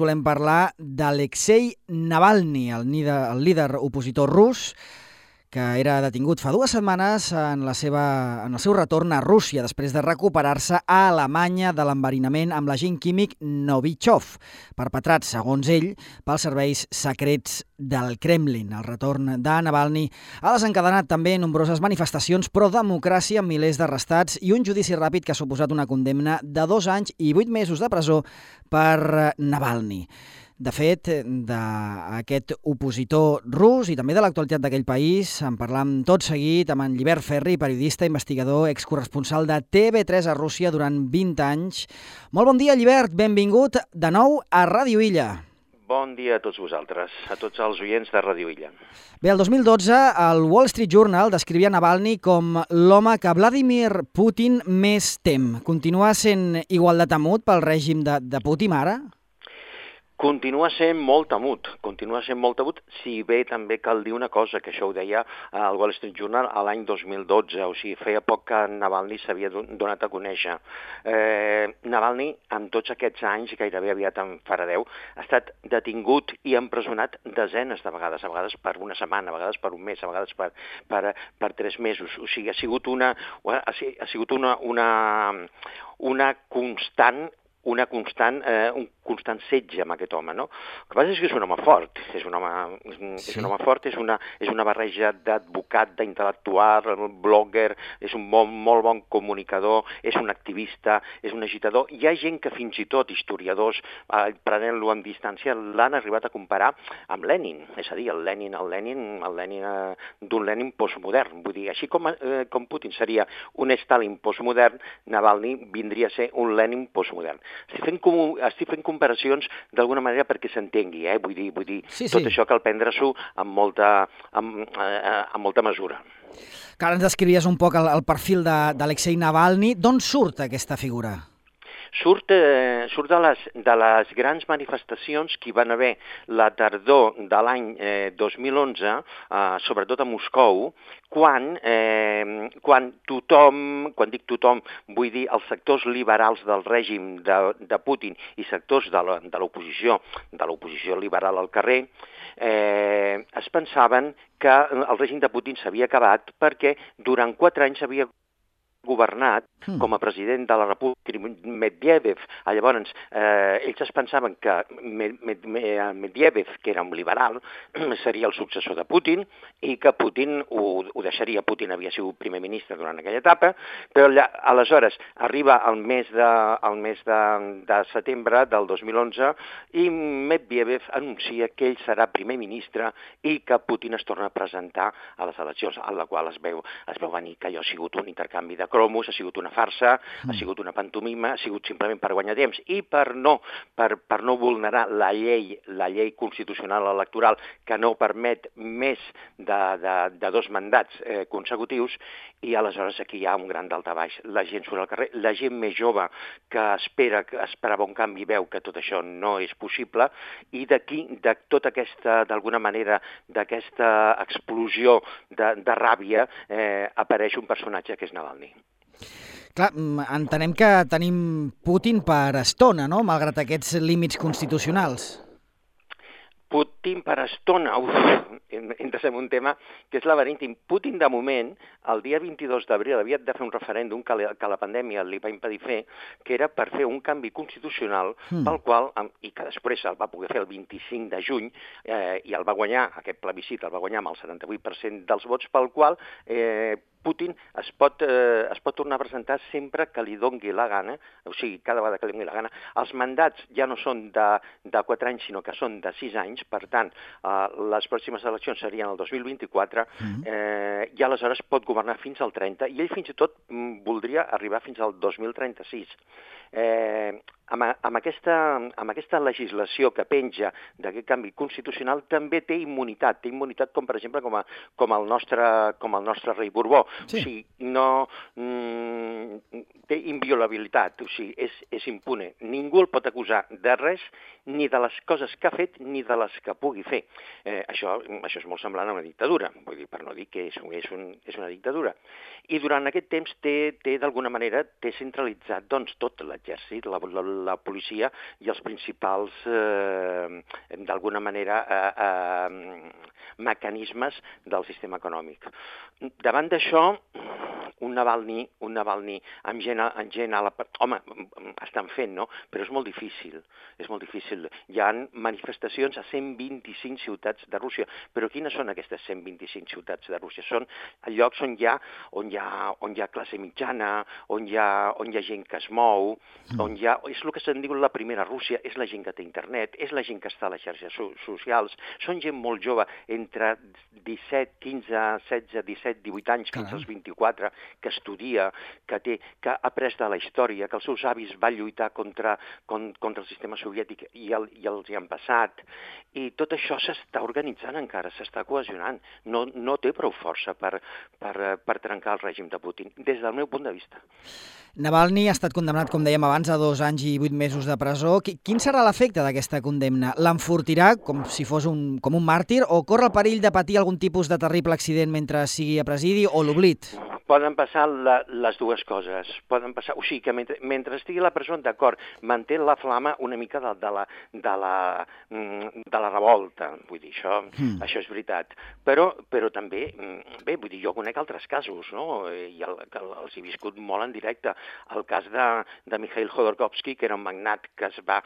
volem parlar d'Alexei Navalny, el líder opositor rus, que era detingut fa 2 setmanes en el seu retorn a Rússia després de recuperar-se a Alemanya de l'enverinament amb l'agent químic Novichov, perpetrat, segons ell, pels serveis secrets del Kremlin. El retorn de Navalny ha desencadenat també nombroses manifestacions pro-democràcia amb milers d'arrestats i un judici ràpid que ha suposat una condemna de 2 anys i 8 mesos de presó per Navalny. De fet, d'aquest opositor rus i també de l'actualitat d'aquell país en parlam tot seguit amb en Llibert Ferri, periodista, investigador, excorresponsal de TV3 a Rússia durant 20 anys. Molt bon dia, Llibert. Benvingut de nou a Ràdio Illa. Bon dia a tots vosaltres, a tots els oients de Ràdio Illa. Bé, el 2012, el Wall Street Journal descrivia Navalny com l'home que Vladimir Putin més tem. Continua sent igual de temut pel règim de Putin ara? Continua sent molt temut, si bé també cal dir una cosa, que això ho deia el Wall Street Journal a l'any 2012, o sigui, feia poc que Navalny s'havia donat a conèixer. Navalny, en tots aquests anys, gairebé aviat en farà 10, ha estat detingut i empresonat desenes de vegades, a vegades per una setmana, a vegades per un mes, a vegades per 3 mesos. O sigui, ha sigut un constant setge amb aquest home, no? El que passa és que és un home fort, és una barreja d'advocat, d'intel·lectual, blogger, és un molt bon comunicador, és un activista, és un agitador. Hi ha gent que fins i tot, historiadors, prenent-lo en distància, l'han arribat a comparar amb Lenin, és a dir, el Lenin d'un Lenin postmodern. Vull dir, així com Putin seria un Stalin postmodern, Navalny vindria a ser un Lenin postmodern. Estic fent comparacions d'alguna manera perquè s'entengui, vull dir, sí. Tot això cal prendre-s'ho amb molta mesura. Que ara ens descrivies un poc el perfil d'Alexei Navalny. D'on surt aquesta figura? Surt de les grans manifestacions que hi van haver la tardor de l'any 2011, sobretot a Moscou, quan dic tothom, vull dir els sectors liberals del règim de Putin i sectors de l'oposició liberal al carrer, es pensaven que el règim de Putin s'havia acabat perquè durant 4 anys havia governat com a president de la República Medvedev. Llavors, ells es pensaven que Medvedev, que era un liberal, seria el successor de Putin i que Putin ho deixaria. Putin havia sigut primer ministre durant aquella etapa, però aleshores arriba el mes de setembre del 2011 i Medvedev anuncia que ell serà primer ministre i que Putin es torna a presentar a les eleccions, en la qual es veu venir que allò ha sigut un intercanvi de cromos, ha sigut una farsa, ha sigut una pantomima, ha sigut simplement per guanyar temps i per no vulnerar la llei constitucional electoral que no permet més de 2 mandats consecutius, i aleshores aquí hi ha un gran daltabaix. La gent surt al carrer, la gent més jove que esperava un canvi veu que tot això no és possible, i d'aquí, de tota aquesta, d'alguna manera, d'aquesta explosió de ràbia, apareix un personatge que és Navalny. Clar, entenem que tenim Putin per estona, no?, malgrat aquests límits constitucionals. Putin per estona, entres en un tema que és laberíntic. Putin, de moment, el dia 22 d'abril havia de fer un referèndum que la pandèmia li va impedir fer, que era per fer un canvi constitucional pel qual, i que després el va poder fer el 25 de juny, i el va guanyar, aquest plebiscit el va guanyar amb el 78% dels vots, pel qual Putin es pot tornar a presentar sempre que li doni la gana, o sigui, cada vegada que li doni la gana. Els mandats ja no són de 4 anys, sinó que són de 6 anys, per tant, les pròximes eleccions serien el 2024, i aleshores pot governar fins al 30, i ell fins i tot voldria arribar fins al 2036. Amb aquesta legislació que penja d'aquest canvi constitucional també té immunitat com per exemple com el nostre rei Borbó. Sí. O sigui, no té inviolabilitat, o sigui, és impune. Ningú el pot acusar de res, ni de les coses que ha fet ni de les que pugui fer. Això és molt semblant a una dictadura, vull dir, per no dir que és una dictadura. I durant aquest temps té d'alguna manera centralitzat doncs, tot l'exèrcit, la la policia i els principals, d'alguna manera, mecanismes del sistema econòmic. Davant d'això, un Navalny amb gent a la... Home, estan fent, no? Però és molt difícil, Hi ha manifestacions a 125 ciutats de Rússia, però quines són aquestes 125 ciutats de Rússia? Són llocs on hi ha classe mitjana, on hi ha gent que es mou, és el que se'n diu la primera Rússia, és la gent que té internet, és la gent que està a les xarxes socials, són gent molt jove, entre 17, 15, 16, 17, 18 anys, fins als 24, que estudia, que ha après de la història, que els seus avis van lluitar contra el sistema soviètic i els hi han passat. I tot això s'està organitzant encara, s'està cohesionant. No té prou força per trencar el règim de Putin, des del meu punt de vista. Navalny ha estat condemnat, com dèiem abans, a 2 anys i 8 mesos de presó. Quin serà l'efecte d'aquesta condemna? L'enfortirà com si fos com un màrtir o corre el perill de patir algun tipus de terrible accident mentre sigui a presidi o l'oblit? Poden passar les dues coses. Poden passar, o sigui que mentre estigui a la presó, d'acord, manté la flama una mica de la revolta. Vull dir, això és veritat. Però també, bé, vull dir, jo conec altres casos, no? I els he viscut molt en directe. El cas de Mikhail Khodorkovsky, que era un magnat que es va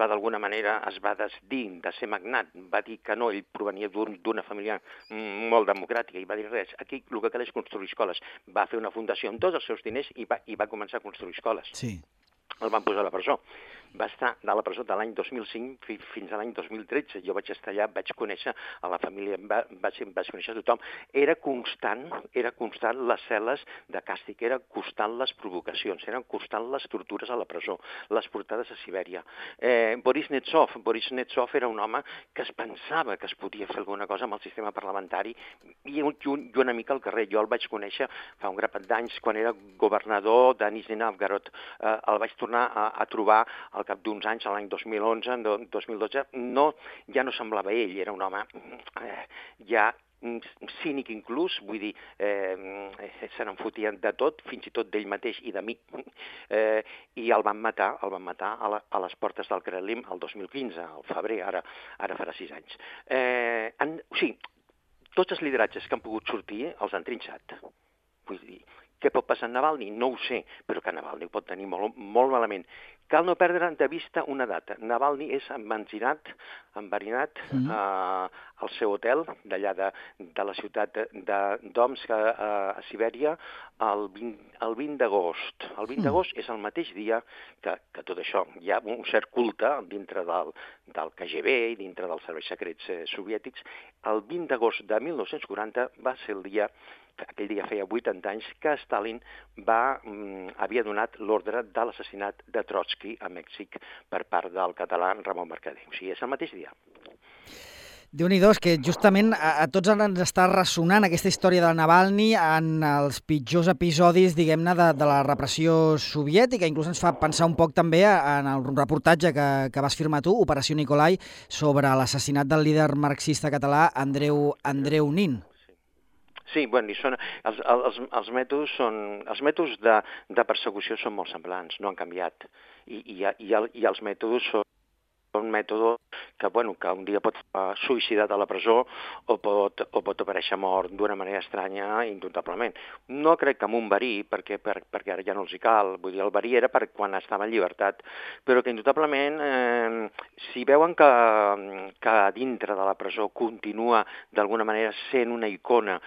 d'alguna manera, es va desdir de ser magnat. Va dir que no, ell provenia d'una família molt democràtica i va dir res. Aquí el que cal és construir escoles. Va fer una fundació amb tots els seus diners i va començar a construir escoles. Sí. El van posar a la presó. Va estar a la presó de l'any 2005 fins a l'any 2013. Jo vaig estar allà, vaig conèixer a la família, vaig conèixer a tothom. Era constant les cel·les de càstig, era constant les provocacions, eren constant les tortures a la presó, les portades a Sibèria. Boris Nemtsov era un home que es pensava que es podia fer alguna cosa amb el sistema parlamentari i una mica al carrer. Jo el vaig conèixer fa un grapat d'anys quan era governador de Nizhny Novgorod. El vaig tornar a trobar al cap d'uns anys, l'any 2011, 2012, ja no semblava ell, era un home ja cínic inclús, vull dir, se n'enfotien de tot, fins i tot d'ell mateix i de mi, i el van matar a les portes del Kremlin el 2015, al febrer, ara farà 6 anys. O sigui, tots els lideratges que han pogut sortir els han trinxat. Vull dir, què pot passar amb Navalny? No ho sé, però que Navalny ho pot tenir molt, molt malament. Cal no perdre de vista una data. Navalny és enverinat al seu hotel d'allà de la ciutat d'Omsk a Sibèria el 20 d'agost. El 20 d'agost és el mateix dia que tot això. Hi ha un cert culte dintre del KGB i dintre dels serveis secrets soviètics. El 20 d'agost de 1940 va ser el dia, aquell dia feia 80 anys, que Stalin havia donat l'ordre de l'assassinat de Trotsky a Mèxic per part del català Ramon Mercader. O sigui, és el mateix dia. Déu-n'hi-do, és que justament a tots ens està ressonant aquesta història de Navalny en els pitjors episodis, diguem-ne, de la repressió soviètica. Inclús ens fa pensar un poc també en el reportatge que vas firmar tu, Operació Nikolai, sobre l'assassinat del líder marxista català Andreu Nin. Sí, bueno, els mètodes de persecució són molt semblants, no han canviat. I els mètodes són mètodes que un dia pot suïcidar a la presó o pot aparèixer mort d'una manera estranya, indubtablement. No crec que amb un verí, perquè ara ja no els hi cal. Vull dir, el verí era per quan estava en llibertat, però que indubtablement, si veuen que dintre de la presó continua d'alguna manera sent una icona,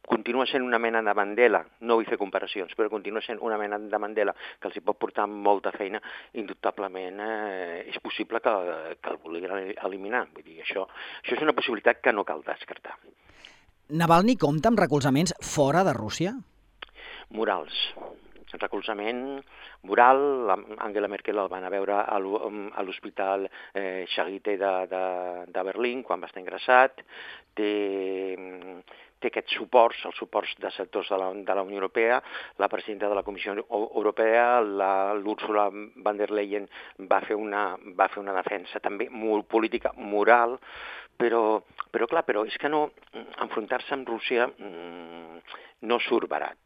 continua sent una mena de Mandela, no vull fer comparacions, però continua sent una mena de Mandela que els hi pot portar molta feina, indubtablement és possible que el vulguin eliminar. Vull dir, això és una possibilitat que no cal descartar. Navalny compta amb recolzaments fora de Rússia? Morals. Recolzament moral. Angela Merkel el van a veure a l'hospital Charité de Berlín quan va estar ingressat. té aquests suports, els suports de sectors de la Unió Europea, la presidenta de la Comissió Europea, l'Ursula von der Leyen va fer una defensa també molt política, moral, però és que no, enfrontar-se amb Rússia no surt barat.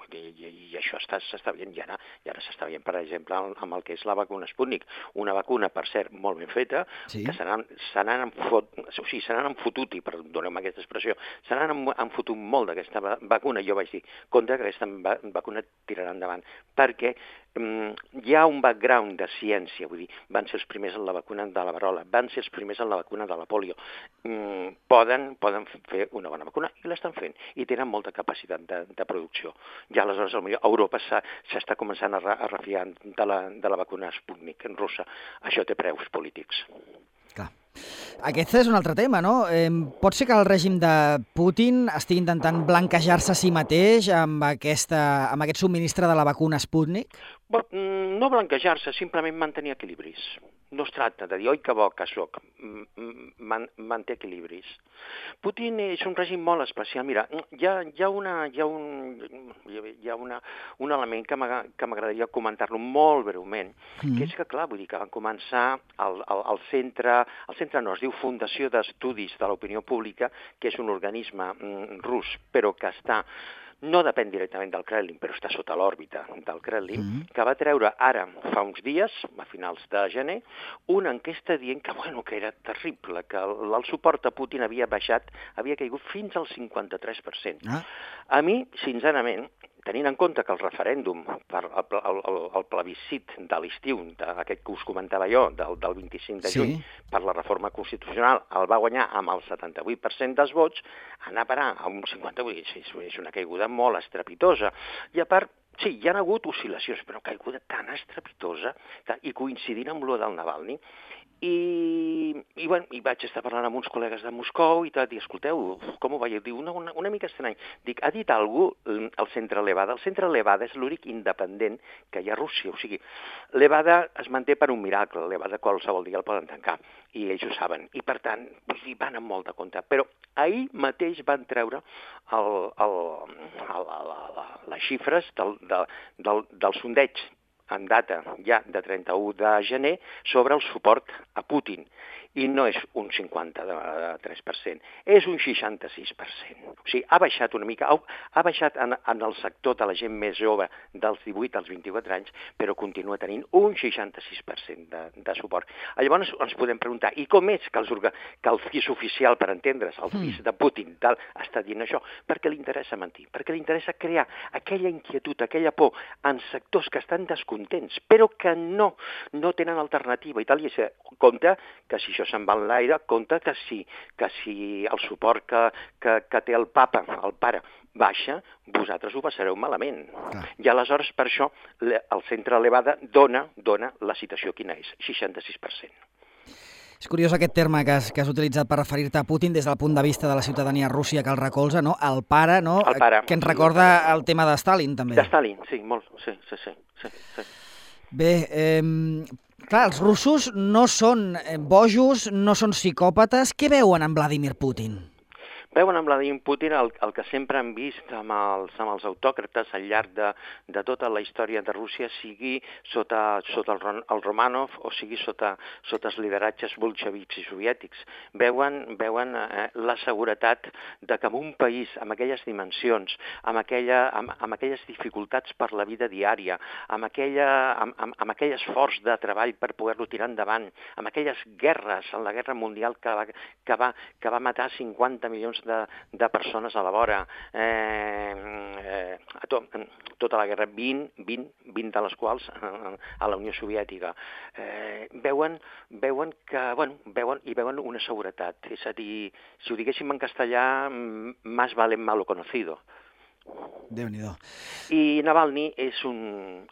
I això s'està veient, i ara s'està veient, per exemple, amb el que és la vacuna Sputnik. Una vacuna, per cert, molt ben feta, sí, que se n'han enfotut, i perdoneu-me aquesta expressió, se n'han enfotut molt d'aquesta vacuna. Jo vaig dir, compte que aquesta vacuna tirarà endavant, perquè hi ha un background de ciència, vull dir, van ser els primers en la vacuna de la verola, van ser els primers en la vacuna de la polio. Poden fer una bona vacuna i l'estan fent, i tenen molta capacitat de producció. Ja aleshores, potser Europa s'està començant a refiar de la vacuna Sputnik russa. Això té preus polítics. Clar. Aquest és un altre tema, no? Pot ser que el règim de Putin estigui intentant blanquejar-se a si mateix amb aquest subministre de la vacuna Sputnik? No blanquejar-se, simplement mantenir equilibris. No es tracta de dir, oi que bo que soc, manté equilibris. Putin és un règim molt especial. Mira, hi ha un element que m'agradaria comentar-lo molt breument, que és que, clar, vull dir que van començar al centre no, es diu Fundació d'Estudis de l'Opinió Pública, que és un organisme rus, però que no depèn directament del Kremlin, però està sota l'òrbita del Kremlin, que va treure ara, fa uns dies, a finals de gener, una enquesta dient que era terrible, que el suport a Putin havia caigut fins al 53%. A mi, sincerament, tenint en compte que el referèndum per el plebiscit de l'estiu, aquest que us comentava jo, del 25 de juny, per la reforma constitucional, el va guanyar amb el 78% dels vots, anar a parar a un 58% és una caiguda molt estrepitosa. I a part, sí, hi ha hagut oscil·lacions, però caiguda tan estrepitosa, i coincidint amb lo del Navalny. I vaig estar parlant amb uns col·legues de Moscou i tot, i escolteu, com ho veieu? Diu, una mica estrany. Dic, ha dit algú el centre Levada? El centre Levada és l'únic independent que hi ha a Rússia. O sigui, Levada es manté per un miracle. Levada qualsevol dia el poden tancar, i ells ho saben. I, per tant, van amb molt de compte. Però ahir mateix van treure les xifres del sondeig en data ja de 31 de gener sobre el suport a Putin. I no és un 53%, és un 66%. O sigui, ha baixat una mica, ha baixat en el sector de la gent més jove dels 18 als 24 anys, però continua tenint un 66% de suport. Llavors ens podem preguntar, i com és que el FIS oficial, per entendre's, el FIS de Putin, està dient això? Perquè li interessa mentir, perquè li interessa crear aquella inquietud, aquella por en sectors que estan descontents, però que no tenen alternativa. I tal, i compte que si això se'n va enlaire, compte que si el suport que té el papa, el pare, baixa, vosaltres ho passareu malament. I aleshores, per això, el centre Levada dona la citació quina és, 66%. És curiós aquest terme que has utilitzat per referir-te a Putin des del punt de vista de la ciutadania rússia que el recolza, no? El pare, no? El pare. Que ens recorda el tema de Stalin, també. De Stalin, sí, molt, sí. Bé, clar, els russos no són bojos, no són psicòpates. Què veuen en Vladimir Putin? Veuen en Vladimir Putin el que sempre han vist amb els autòcrates al llarg de tota la història de Rússia, sigui sota el Romanov o sigui sota els lideratges bolxevics i soviètics. Veuen la seguretat de que en un país amb aquelles dimensions, amb aquelles dificultats per la vida diària, amb aquell esforç de treball per poder-lo tirar endavant, amb aquelles guerres, en la Guerra Mundial que va matar 50 milions de persones a la vora, tota la guerra, 20 de les quals a la Unió Soviètica. Veuen una seguretat. És a dir, si ho diguéssim en castellà, más vale malo conocido. Déu-n'hi-do. I Navalny és un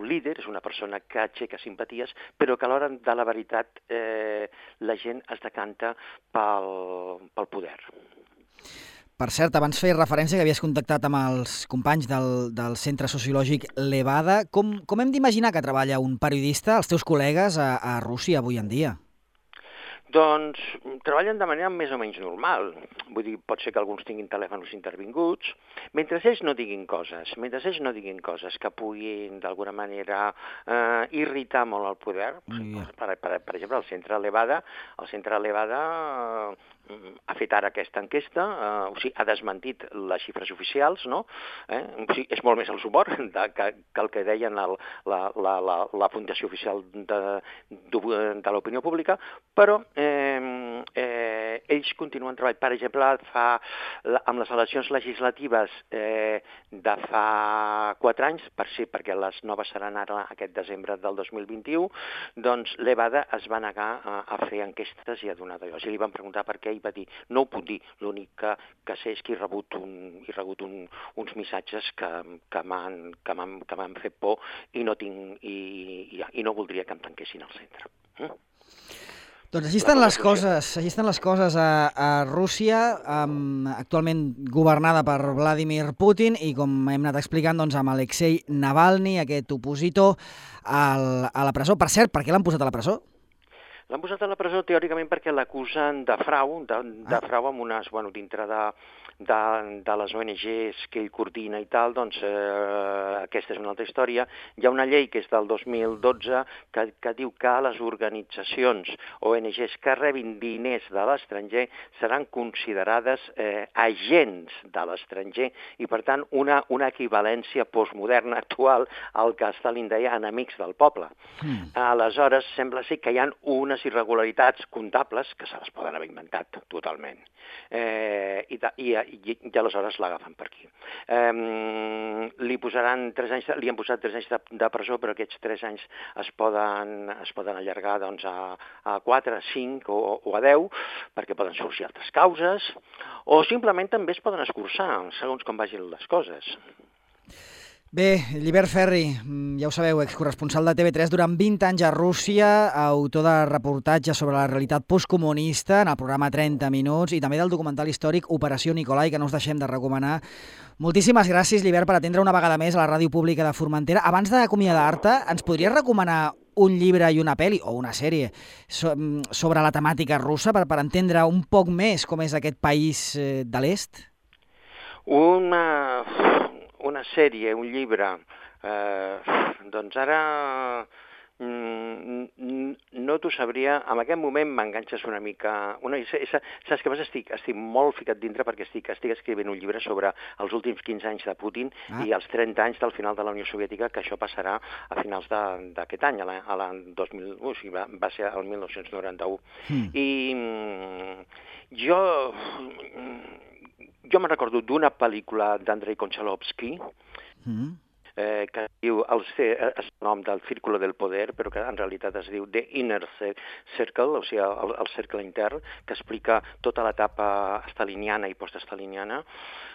líder, és una persona que aixeca simpaties, però que a l'hora de la veritat la gent es decanta pel poder. Per cert, abans feies referència que havies contactat amb els companys del Centre Sociològic Levada. Com hem d'imaginar que treballa un periodista, els teus col·legues, a Rússia avui en dia? Doncs treballen de manera més o menys normal. Vull dir, pot ser que alguns tinguin telèfons intervinguts. Mentre ells no diguin coses que puguin d'alguna manera irritar molt el poder, per exemple, el centre Levada ha fet ara aquesta enquesta, o sigui, ha desmentit les xifres oficials, no? O sigui, és molt més el suport que el que deien la Fundació Oficial de l'Opinió Pública, però ells continuen treballant. Per exemple, amb les eleccions legislatives de fa 4 anys, perquè les noves seran ara aquest desembre del 2021, doncs l'Evada es va negar a fer enquestes i a donar d'allò. I li van preguntar per què i va dir, no ho puc dir, l'únic que sé és que he rebut uns missatges que m'han fet por i no voldria que em tanquessin al centre. Doncs així estan les coses a Rússia, actualment governada per Vladimir Putin i, com hem anat explicant, doncs, amb Alexei Navalny, aquest opositor, a la presó. Per cert, per què l'han posat a la presó? L'han posat a la presó teòricament perquè l'acusen de frau amb unes, dintre de les ONGs que ell coordina i tal, doncs aquesta és una altra història. Hi ha una llei que és del 2012 que diu que les organitzacions ONGs que rebin diners de l'estranger seran considerades agents de l'estranger i, per tant, una equivalència postmoderna actual al que Stalin deia enemics del poble. Aleshores, sembla ser que hi ha unes irregularitats comptables que se les poden haver inventat totalment. I aleshores l'agafen per aquí. Li han posat 3 anys de presó, però aquests 3 anys es poden allargar a 4, a 5 o a 10, perquè poden sorgir altres causes, o simplement també es poden escurçar, segons com vagin les coses. Bé, Llibert Ferri, ja ho sabeu, excorresponsal de TV3 durant 20 anys a Rússia, autor de reportatges sobre la realitat postcomunista en el programa 30 minuts i també del documental històric Operació Nicolai, que no us deixem de recomanar. Moltíssimes gràcies, Llibert, per atendre una vegada més a la Ràdio Pública de Formentera. Abans d'acomiadar-te, ens podries recomanar un llibre i una pel·li, o una sèrie, sobre la temàtica russa, per entendre un poc més com és aquest país de l'est? Una sèrie, un llibre, doncs ara no t'ho sabria. En aquest moment m'enganxes una mica. Saps què passa? Estic molt ficat dintre perquè estic escrivint un llibre sobre els últims 15 anys de Putin i els 30 anys del final de la Unió Soviètica, que això passarà a finals d'aquest any, a l'any 2000, o sigui, va ser el 1991. I jo me'n recordo d'una pel·lícula d'Andrei Konchalovsky, que diu el nom del Círculo del Poder, però que en realitat es diu The Inner Circle, o sigui, el cercle intern, que explica tota l'etapa staliniana i poststaliniana.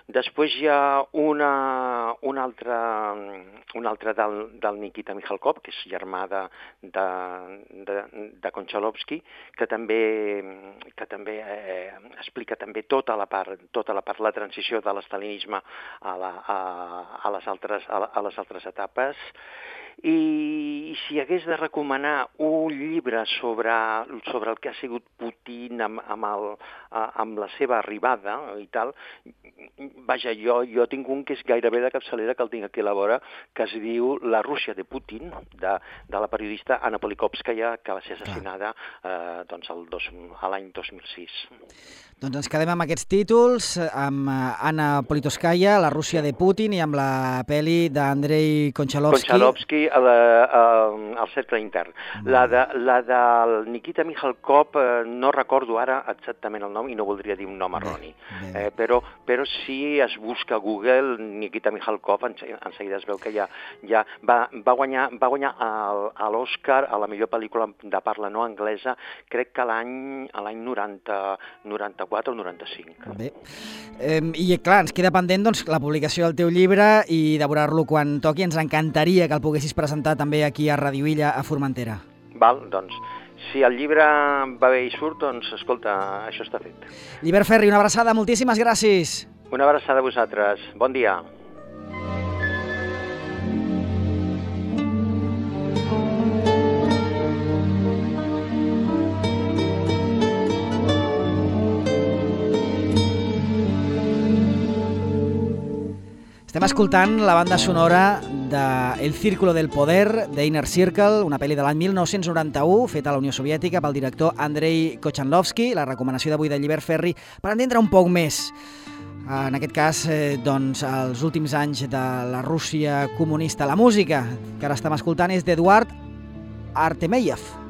Després hi ha un altre del Nikita Mikhalkov, que és germà de Konchalovsky, que també explica també tota la part, la transició de l'estalinisme a les altres etapes. I si hagués de recomanar un llibre sobre el que ha sigut Putin amb la seva arribada i tal, vaja, jo tinc un que és gairebé de capçalera, que el tinc aquí a la vora, que es diu La Rússia de Putin, de la periodista Anna Polikovskaya, que va ser assassinada l'any 2006. Doncs ens quedem amb aquests títols, amb Anna Politkovskaya, La Rússia de Putin, i amb la pel·li d'Andrei Konchalovsky, el cercle intern. La del Nikita Mikhalkov no recordo ara exactament el nom i no voldria dir un nom erroni. Però si es busca a Google Nikita Mikhalkov, en seguida es veu que ja va guanyar l'Oscar a la millor pel·lícula de parla no anglesa, crec que l'any 94 o 95. Bé, i clar, ens queda pendent la publicació del teu llibre i devorar-lo quan toqui. Ens encantaria que el poguessis presentar també aquí a Radio Illa, a Formentera. Val, doncs, si el llibre va bé i surt, doncs, escolta, això està fet. Llibert Ferri, una abraçada, moltíssimes gràcies. Una abraçada a vosaltres. Bon dia. Estem escoltant la banda sonora de El Círculo del Poder, d'Inner Circle, una pel·li de l'any 1991, feta a la Unió Soviètica pel director Andrei Kochanlovsky. La recomanació d'avui de Llibert Ferri per entendre un poc més, en aquest cas, doncs, els últims anys de la Rússia comunista. La música que ara estem escoltant és d'Eduard Artemiev.